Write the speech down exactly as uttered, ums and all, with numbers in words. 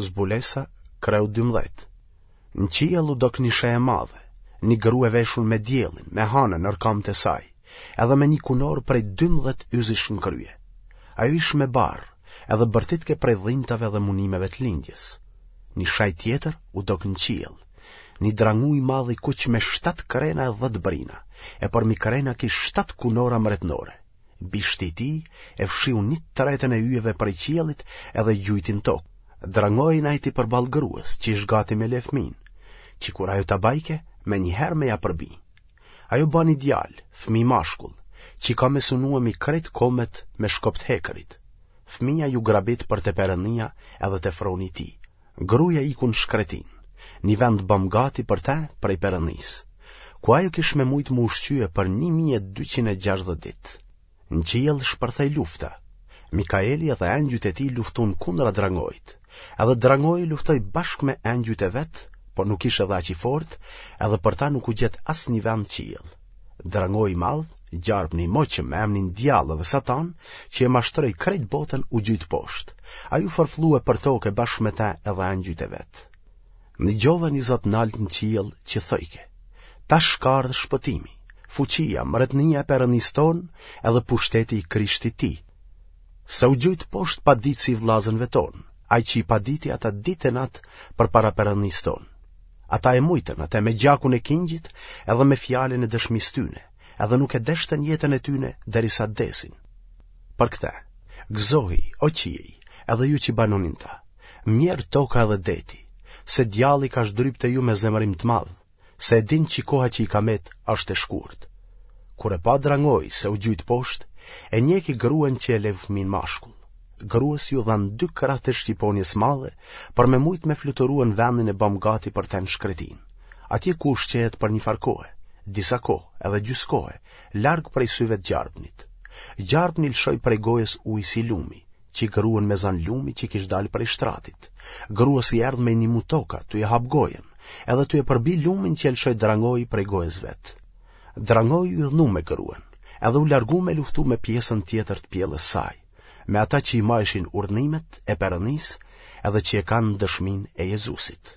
Zbulesa, kreu dymbëdhjetë. Në qiell u dok një shej e madhe, një grua e veshun me diellin, me hanën nër kamët e saj, edhe me një kunorë prej dymbëdhjetë yzish në krye. Ajo ish me barrë, edhe bërtitke prej dhimtave dhe munimeve të lindjes. Një shej tjetër u dok në qiell, një drangu i madh i kuq me shtatë krena e dhjetë brina, e përmi krena kish shtatë kunora mretnore. Bishti i tij e fshiu një të tretën e yjeve prej qiellit edhe i gjujti në tokë. Drangoi najti përballë grues, që ish gati me le fëmin, që kur ajo ta bajke, menjëherë me ja përbi. Ajo bani djalë, fëmi mashkull, që ka me sunue mi krejt komet me shkop të hekërit. Fëmija ju grabit për te Perëndia edhe te froni i tij. Gruja iku në shkretinë, një vend bamë gati për te prej Perëndisë, ku ajo kish me mujtë m'u ushqye për një mijë e dyqind e gjashtëdhjetë ditë. Në qiell shpërthej lufta. Mikaeli edhe engjujt e tij luftun kundra drangoit. Edhe drangoi luftoi bashkë me engjujt e vet, por nuk ish edhe aq i fortë, edhe për ta nuk u gjet asnjë vend në qiell. Drangoi i madh, gjarpni i moçëm me emnin Djall edhe Satan, që e mashtroi krejt botën u gjujt poshtë. Ai u forfllue për toke bashkë me te edhe engjujt e vet. Nigjova një zë t'naltë në qiell që thojke, Tash ka ardhë shpëtimi, fuqia, mretnia e Perëndisë tonë edhe pushteti i Krishtit tij. Se u gjujt poshtë paditësi i vëllazënve tonë, ai që i paditi ata ditë e natë përpara Perëndisë tonë. Ata e mujtën atë me gjakun e kingjit edhe me fjalën e dëshmisë tyne, edhe nuk e deshtën jetën e tyne derisa t'desin. Për këtë, gëzohi, o qiej, edhe ju që banoni n'ta, mjerë toka edhe deti, se djalli ka zhdryp te ju me zemërim të madh, se e din që koha që i ka met është e shkurt. Kur e pa drangoi se u gjujt poshtë, e njeki gruen që e leu fëmin mashkull. Grues ju dhanë dy krahët e shqiponjës madhe për me mujt me fluturue në vendin e bamë gati për te në shkretinë, atje ku ushqehet për një farë kohe, disa kohë, edhe gjysë kohe, larg prej syve të gjarpnit. Gjarpni lëshoi prej gojës ujë si lumi, që gruen me zanë lumi që kish dalë prej shtratit. Grues i erdh me i nimu toka, tu e hap gojën, edhe tu e përbi lumin që e lëshoi drangoi prej gojës vet. Drangoi u idhnu me gruen, edhe u largu me luftu me pjesën tjetër të pjellës saj, me ata që i majshin urdhnimet e Perëndisë edhe që e kanë dëshminë e Jezusit.